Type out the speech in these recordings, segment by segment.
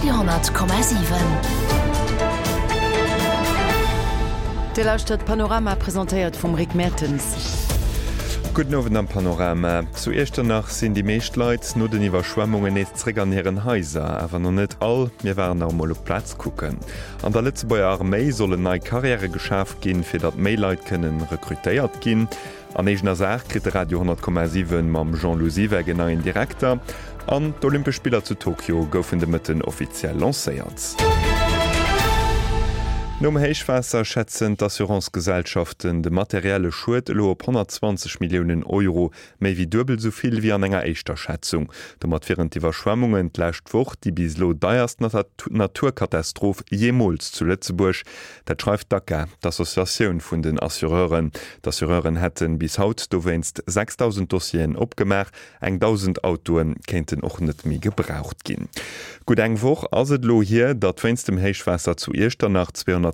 Radio 10,7. Dir lauschtert Panorama, presentéiert vum Rick Mertens. Gudden Owend am Panorama. Zu Iechternach sinn déi meescht Leit no den Iwwerschwemmungen nees zréck an hiren Haiser. Awer nach net all. Mir waren nach emol op d'Plaz kucken. An der Lëtzebuerger Arméi sollen nei Karriäre geschaf ginn, fir datt méi Leit kënnen rekrutéiert ginn. An eegener Saach kritt de Radio 10,7 mam Jean-Lou Siweck en neien Direkter. An d'Olympesch Spiller zu Tokio goufen de Mëtten offiziell lancéiert. Nom Héichwaasser schätzen d'Assurancegesellschaften de materielle Schued elo op 120 Milliounen Euro, méi wéi duebel esou vill wéi an enger éischter Schätzung. Domat wieren d'Iwwerschwemmungen d'lescht Woch déi bis elo deierst Naturkatastroph jeemools zu Lëtzebuerg. Dat schreift d'ACA, d'Associatioun vun den Assureuren. D'Assureuren hätte bis haut dowéinst 6.000 Dossieren opgemaach. Eng 1.000 Autoe kéinten och net méi gebraucht ginn. Gutt eng Woch ass et elo hier, datt wéinst dem Héichwaasser zu Iechternach 230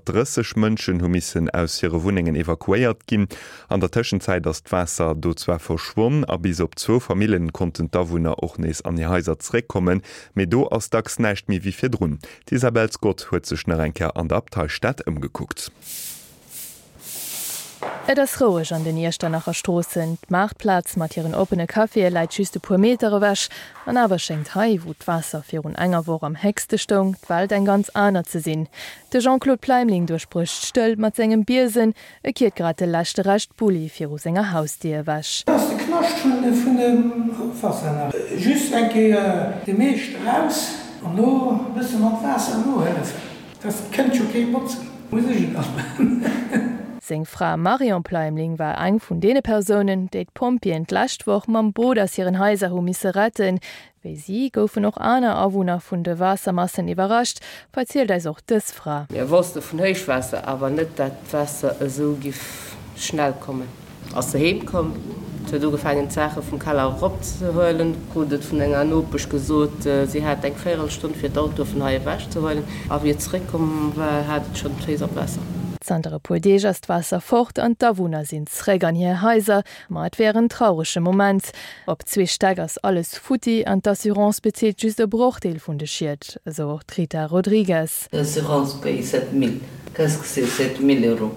Mënschen hu missen aus hire Wunnengen evakuéiert ginn. An der Tëschenzäit ass d'Waasser do zwar verschwonn a bis op zwou Famillen konnten d'Awunner och nees an hir Haiser zeréckkommen, mee do ass dacks näischt méi wéi virdrun. D'Isabel Scott huet sech nach eng Kéier an der Abteistad ëmgekuckt. Et ass roueg an den Iechternacher Stroossen. D'Maartplaz mat hiren oppene Caféë läit just e puer Meter ewech. An awer schéngt hei, wou d'Waasser virun enger Woch am héchste stoung, d'Welt eng ganz aner ze sinn. De Jean-Claude Pleimling duerchbrécht d'Stëllt mat sengem Biesen. E kiert grad de leschte Rescht Bulli viru senger Hausdier ewech. Dat ass de Knascht vun dem Ofwaasser nach. Just eng Kéier de meescht eraus an no e bësse mat Waasser nohëllefen. Dat kënnt jo kee botzen, muss ech et dann maachen. Seng Fra Marion Pleimling war eng vun deene Persounen, déi d'Pompjeeën d'lescht Woch mam Boot aus hiren Haiser hu misse retten. Wéi si goufen och aner Awunner vun de Waassermassen iwwerrascht, verzielt eis och dës Fra. Mir wosste vun Héichwaasser, awer net dat d'Waasser esou giff schnell kommen. Ass se heem komm, huet ugefaangen d'Saache vum Keller erop ze huelen, krut et vun enger Nopesch gesot, si hat eng Véierelstonn fir d'Autoe vun hei ewech ze huelen, a wéi et zeréck komm war, hat et schonn d'Féiss am Waasser. Zanter e puer Deeg ass d'Waasser fort an d'Awunner sinn zréck an hir Haiser. Ma et wär en traurege Moment. Op zwee Stäck ass alles futti an d'Assurance bezilt just e Brochdeel vun de Schied, esou och d'Rita Rodrigues. L'assurance paye 7000, qu'est-ce que c'est 7000 euros?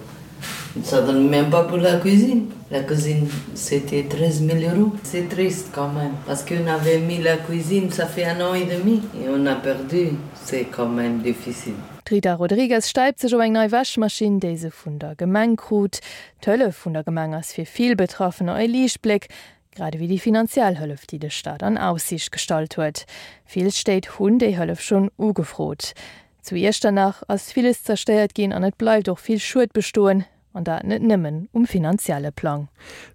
Ça donne même pas pour la cuisine, la cuisine c'était 13000 euros. C'est triste quand même, parce qu'on avait mis la cuisine, ça fait un an et demi et on a perdu, c'est quand même difficile. D'Rita Rodrigues stäipt sech op eng nei Wäschmaschinn, déi se vun der Gemeng krut. D'Hëllef vun der Gemeng ass fir vill Betraffener e Liichtbléck, grad ewéi déi finanziell Hëllef, déi de Staat an Aussiicht gestallt huet. Vill Stéit hunn déi Hëllef schonn ugefrot. Zu Iechternach ass villes zerstéiert ginn an et bleift och vill Schued bestoen, an dat net nëmmen um finanzielle Plang.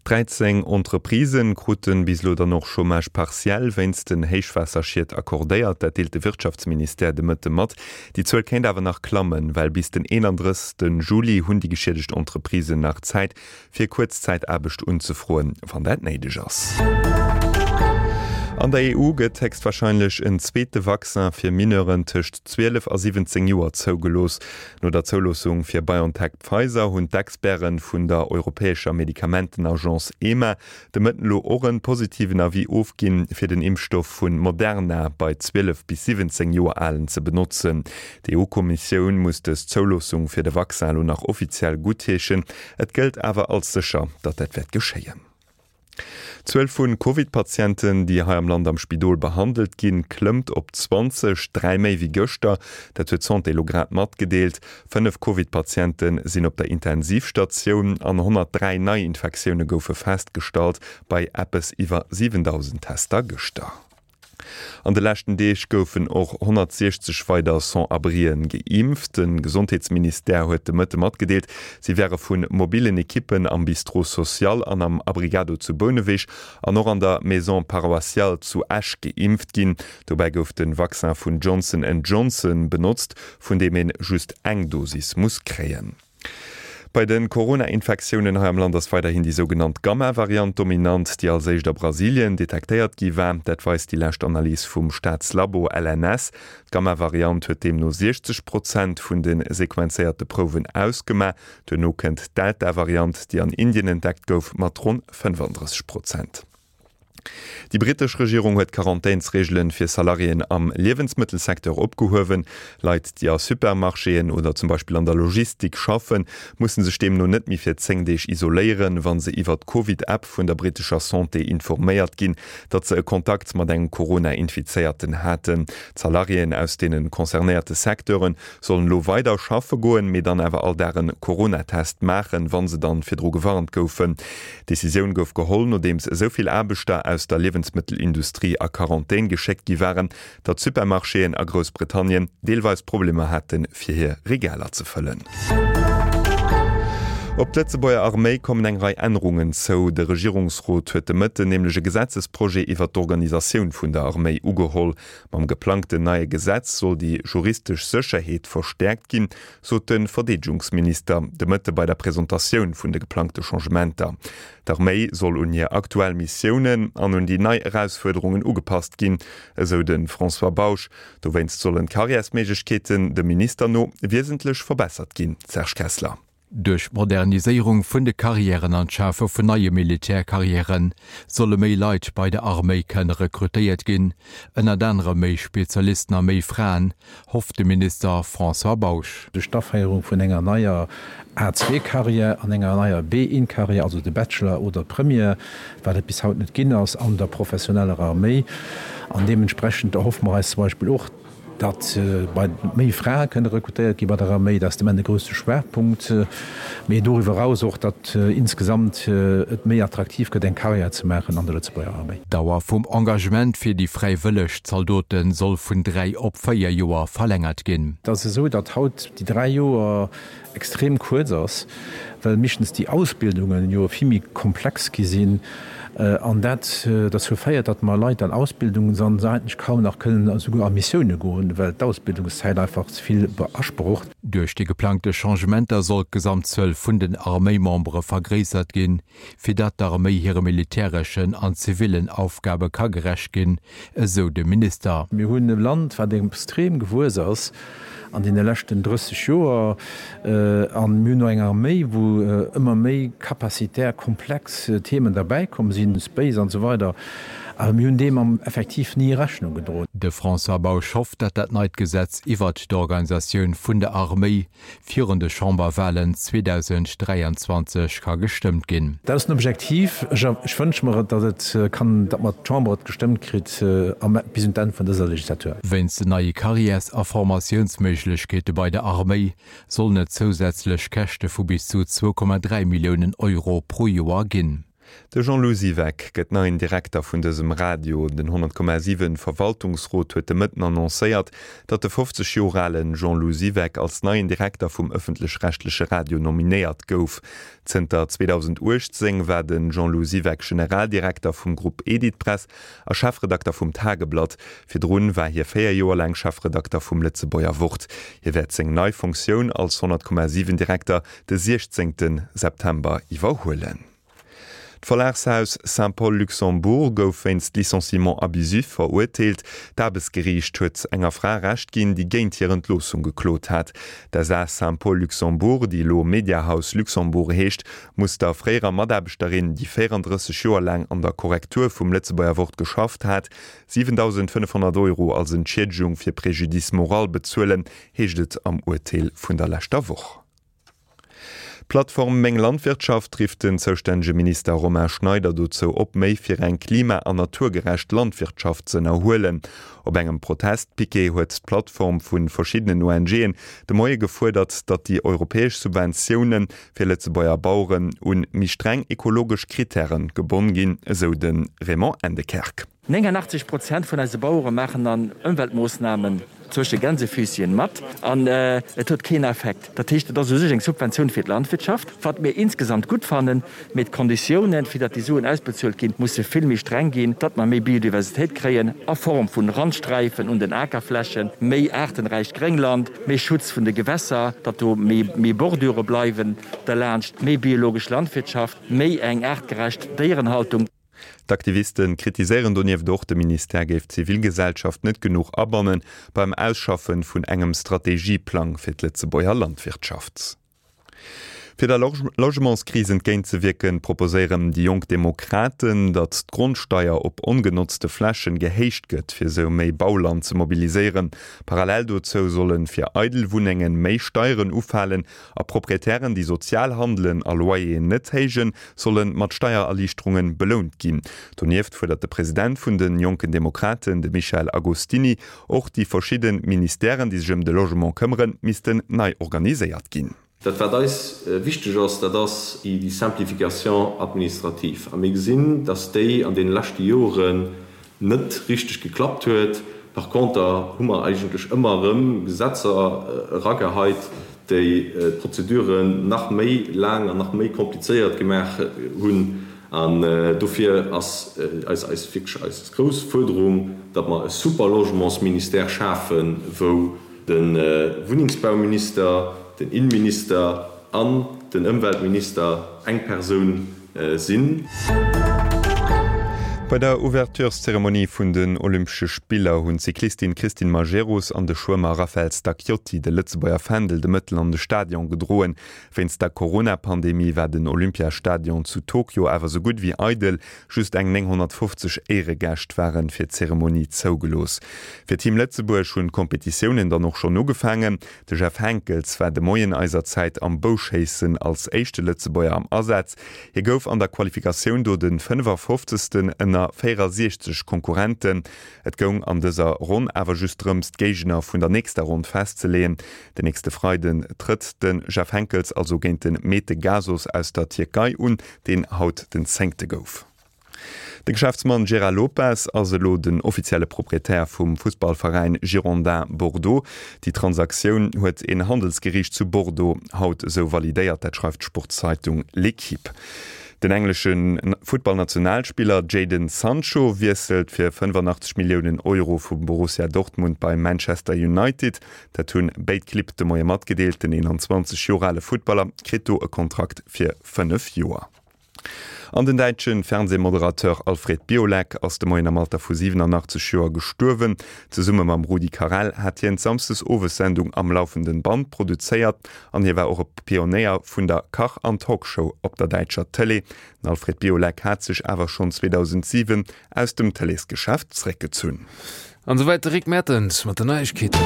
13 Entreprisen kruten bis elo dann och Chômage partiel wéinst den Héichwaasserschied accordéiert. Dat deelt de Wirtschaftsministère de Mëtte mat. Déi Zuel kéint awer nach klammen, well bis den 31 Juli hunn déi geschiedegt Entreprisen nach Zäit, fir Kuerzzäitaarbecht unzefroen, wann dat néideg ass. An der EU gëtt héchstwarscheinlech en zweete Vaccin fir Mineuren tëscht 12 a 17 Joer zougelooss. No der Zouloossung fir BioNTech-Pfizer hunn d'Experte vun der europäescher Medikamentenagence EMA de Mëtten elo och en positiven Avis ofginn, fir den Impfstoff vun Moderna bei 12 bis 17 Joer Alen ze benotzen. D'EU-Kommissioun muss dës Zouloossung fir de Vaccin elo nach offiziell guttheeschen. Et gëllt awer als sécher, datt dat wäert geschéien. D'Zuel vu Covid-Patienten, déi hei am Land am Spidol behandelt ginn, klëmmt op 20, 3 méi wéi gëschter. Dat huet d'Santé elo grad matgedeelt. 5 Covid-Patiente sinn op der Intensivstatioun an 103 Neiinfektioune goufe festgestallt bei eppes iwwer 7.000 Tester gëschter. An de leschten Deeg goufen och 160 weider Sans-abrien geimpft. De Gesondheetsministère huet de Mëtte matgedeelt, si wäre vu mobillen Ekippen am Bistrot social an am Abrigado zu Bouneweg an och an der Maison paroissiale zu Esch geimpft ginn. Dobäi gouf de Vaccin vun Johnson and Johnson benotzt, vun deem een just eng Dosis muss kréien. Bei de Corona-Infektiounen hei am Land ass weiderhin déi sougenannt Gamma-Variant dominant, déi als éischt a Brasilien detektéiert gi war. Dat weist déi lescht Analys vum Staatslabo LNS. D'Gamma-Variant huet deemno 60 Prozent vun de sequenzéierte Prouwen ausgemaach. Duerno kënnt d'Delta-Variant, déi an Indien entdeckt gouf, mat ronn 35 Prozent. Déi brittesch Regierung huet d'Quarantänsreegelen fir Salariéen am Liewensmëttelsecteur opgehuewen. Leit, déi a Supermarchéen oder zum Beispill an der Logistik schaffen, musse sech deemno net méi fir 10 Deeg isoléieren, wa se iwwer d'Covid-App vun der brittescher Santé informéiert ginn, datt se e Kontakt mat engem Corona-Infizéierten haten. D'Salariéen aus deene concernéierte Secteure sollen elo weider schaffe goen, mee dann awer all Dag en Coronatest maachen, wa se dann virdru gewarnt goufen. D'Decisioun gouf geholl, nodeems esou vill Aarbechter aus der Liewensmëttelindustrie a Quarantän geschéckt gi waren, datt Supermarchéen a Groussbritannien deelweis Problemer haten, fir hir Regaler ze fëllen. Op d'Lëtzebuerger Arméi kommen eng Rei Ännerungen zou. De Regierungsrot huet de Mëtten nämlech e Gesetzesprojet iwwer d'Organisatioun vun der Arméi ugeholl. Mam geplangten neie Gesetz soll déi juristesch Sécherheet verstäerkt ginn, sot de Verdeedegungsminister de Mëtte bei der Presentatioun vun de geplangte Changementer. D'Arméi soll un hir aktuell Missiounen an un déi nei Erausfuerderungen ugepasst ginn, esou de François Bausch. Dowéinst sollen d'Karriärsméiglechkeeten dem Minister no wiesentlech verbessert ginn. Serge Kessler. Duerch d'Moderniséierung vun de Karriären an d'Schafe vun neie Militärkarriäre solle méi Leit bei der Arméi kënne rekrutéiert ginn, ënnert anerem méi Spezialisten a méi Fraen, hofft de Minister François Bausch. Duerch d'Aféierung vun enger neier A2-Carrière an enger neier B1-Carrière, also de Bachelor oder d'Première, wat et bis haut net ginn ass an der professioneller Arméi. An deementsprechend erhoffe mer eis zum Beispill och, datt bei méi Frae kënne rekrutéiert gi bei der Arméi. Dat ass de Moment e grousse Schwaachpunkt. Mee doriwwer eraus och, datt insgesamt et méi attraktiv gëtt, eng Carrière ze maachen an der Lëtzebuerger Arméi. D'Dauer vum Engagement fir déi fräiwëlleg Zaldote soll vun 3 op 4 Joer verlängert ginn. Et ass esou, datt haut déi 3 Joer extrem kuerz ass, well meeschtens déi Ausbildungen jo vill méi komplex gi sinn an dat derzou féiert, datt mer Leit an Ausbildung san, se eigentlech kaum nach kënnen esouguer a Missioune goen, well d'Ausbildungszäit einfach ze vill beasprocht. Duerch déi geplangte Changementer soll d'Gesamtzuel vun den Arméimembere vergréissert ginn, fir datt d'Arméi hire militäreschen an zivillen Aufgabe ka gerecht ginn, esou de Minister. Mir hunn e Land, wat extrem gewuess ass an deene leschten 30 Joer, a mir hunn och eng Arméi, wou ëmmer méi kapazitär komplex Themen derbäikomm sinn, Space an esou weider, awer mir hunn deem am effektiv ni Rechnung gedroen. De François Bausch hofft, datt dat neit Gesetz iwwert d'Organisatioun vun der Arméi virun de Chamberwalen 2023 ka gestëmmt ginn. Dat ass den Objektiv. Ech wënsche mer et, datt et kann, datt mer d'Chamber et gestëmmt kritt bis un d'Enn vun dëser Legislatur. Wéinst den neie Carrières a Formatiounsméiglechkeete bei der Arméi sollen et zousätzlech Käschte vu bis zu 2,3 Milliounen Euro pro Joer ginn. De Jean-Lou Siweck gëtt neien Direkter vun dësem Radio. Den 100,7 Verwaltungsrot huet de Mëtten annoncéiert, datt de 50 Joer ale Jean-Lou Siweck als neien Direkter vum ëffentlech-rechtleche Radio nominéiert gouf. Zënter 2018 war de Jean-Lou Siweck Generaldirekter vum Grupp Editpress a Chefredakter vum Tageblatt. Virdrun war hie 4 Joer laang Chefredakter vum Lëtzebuerger Wort. Hie wäert seng nei Funktioun als 100,7 Direkter de 16 September iwwerhuelen. D'Verlagshaus Saint-Paul Luxembourg gouf wéinst Licenciement abusif verurteelt. D'Aarbechtsgeriicht huet enger Fra Recht ginn, déi géint hir Entloossung geklot hat. D'SA Saint-Paul Luxembourg, déi elo Mediahaus Luxembourg heescht, muss der fréierer Mataarbechterin, déi 34 Joer laang an der Korrektur vum Lëtzebuerger Wort geschafft hat, 7.500 Euro als Entschiedegung fir Préjudice moral bezuelen, heescht et am Urteel vun der leschter Woch. D'Plattform Meng Landwirtschaft rifft den zoustännege Minister Romain Schneider dozou op, méi fir eng klima an naturgerecht Landwirtschaft z'ënnerhuelen. Op engem Protestpiquet huet d'Plattform vu verschiddenen ONGen de Moie gefuerdert, datt déi europäesch Subventioune fir Lëtzebuerger Baueren un méi streng ekologesch Krittäre gebonn ginn, esou de Raymond Endekerk. 89 Prozent vun eise Bauere maachen an Ëmweltmoossnamen zwësche Gänsefüßchen mat an et huet keen Effekt. Dat heescht, et ass u sech eng Subventioun fir d'Landwirtschaft, wat mir insgesamt gutt fannen, mee d'Konditiounen, fir datt déi Suen ausbezuelt ginn, musse vill méi streng ginn, datt mer méi Biodiversitéit kréien a Form vun Randsträifen un den Akerflächen, méi aartenräicht Gréngland, méi Schutz vun de Gewässer, datt do méi Bordure bleiwen derlaanscht, méi biologesch Landwirtschaft, méi eng aartgerecht Déierenhaltung. D'Aktiviste kritiséieren donieft och, de Ministère géif d'Zivilgesellschaft net genuch abanne beim Ausschaffe vun engem Strategieplang fir d'Lëtzebuerger Landwirtschaft. Fir der Logementskris entgéintzewierken, proposéieren déi Jonk Demokraten, datt d'Grondsteier op ongenotzte Flächen gehéicht gëtt, fir esou méi Bauland ze mobiliséieren. Parallel dozou solle fir eidel Wunnengen méi Steieren ufalen a Proprietären, déi sozial handelen a Loyeren net héijen, solle mat Steiererliichterunge belount ginn. Donieft fuerdert de President vun de Jonken Demokraten, de Michel Agostini, och déi verschidde Ministèren, déi sech ëm de Logement këmmeren, missten nei organiséiert ginn. Dat wat eis wichteg ass, dat ass déi Simplification administrative. A mir gesinn, dass déi an deene leschte Joren net richteg geklappt huet. Par conter hu mer eigentlech ëmmer erëm Gesetzer erageheit, déi d'Prozeduren nach méi laang an nach méi komplizéiert gemaach hunn. An dofir ass eis eis wierklech eis grouss Fuerderung, datt mer e super Logementsministère schafen, wou De Wunnengsbauminister, den Inneminister an den Ëmweltminister eng Persoun sinn. Bei der Ouvertureszeremonie vun den Olympesche Spiller hunn d'Cyclistin Christine Majerus an de Schwëmmer Raphaël Stacchiotti de Lëtzebuerger Fändel de Mëttel an de Stadion gedroen. Wéinst der Corona-Pandemie war den Olympiastadion zu Tokio awer sou gutt wéi eidel. Just eng 950 Éieregäscht ware fir d'Zeremonie zougelooss. Fir Team Lëtzebuerg hunn d'Kompetitiounen dann och schonn ugefaangen. De Jeff Henckels war de Moien eiser Zäit am Bouschéissen als éischte Lëtzebuerger am Asaz. Hie gouf an der Qualifikatioun do de 55. ënner 64 Konkurrenten. Et goung an dëser Ronn awer just drëms, d'Géigner vun der nächster Ronn festzeleeën. Den nächste Freiden trëtt de Jeff Henckels also géint de Mete Gazoz aus der Tierkei un. deen haut den zéngte gouf. De Geschäftsmann Gérard Lopez ass elo den offizielle Proprietär vum Fussballveräin Girondins Bordeaux. Déi Transaktioun huet een Handelsgeriicht zu Bordeaux haut esou validéiert, dat schreift d'Sportszeitung L'Equipe. Den englesche Futtballnationalspiller Jadon Sancho wiesselt fir 85 Milliounen Euro vu Borussia Dortmund bei Manchester United. Dat hunn béid Clibb de Moie matgedeelt. Den 21 Joer ale Futtballer kritt do e Kontrakt fir 5 Joer. An den däitsche Fernsehmoderateur Alfred Biolek ass de Moien am Alter vu 87 Joer gestuerwen. Zesumme mam Rudi Carrell hat hien d'Samsdesowes-Sendung Am laufenden Band produzéiert an hie war och e Pionéier vun der Kach an Talkshow op der däitscher Tëlee. Den Alfred Biolek hat sech awer schonn 2007 aus dem Tëleesgeschäft zréckgezunn. An esouwäit de Rick Mertens mat den Neiegkeeten.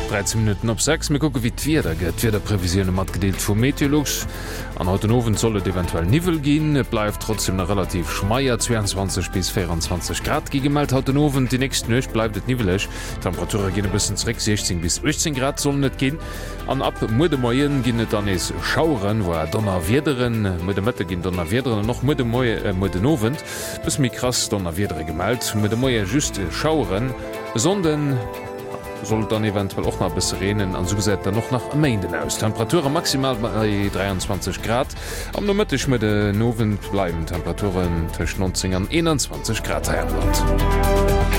13 Minutten op 6, mir kucke wéi d'Wieder gëtt. D'Wiederprevisioune matgedeelt vu Meteolux. An haut den Owend soll et eventuell Niwwel ginn. Et bleift trotzdeem nach relativ schmeier, 22 bis 24 Grad gi gemellt haut den Owend. Déi nächst Nuecht bleift et niwweleg, d'Temperature ginn e bëssen zeréck, 16 bis 18 Grad sollen et ginn. An ab muer de Moie ginn et dann nees Schaueren, voire Donnerwiederen. Muer de Mëtte ginn Donnerwiederen an och muer de Moie, muer den Owend. Bësse méi krass Donnerwiedere gemellt, muer de Moie just Schaueren. E Sonnden soll et dann eventuell och nach e bësse reenen an esou gesäit et dann och nach e Méinden aus. Temperature maximal bei 23 Grad, am Nomëtteg, muer den Owend bleiwen d'Temperaturen tëscht 19 an 21 Grad hei am Land.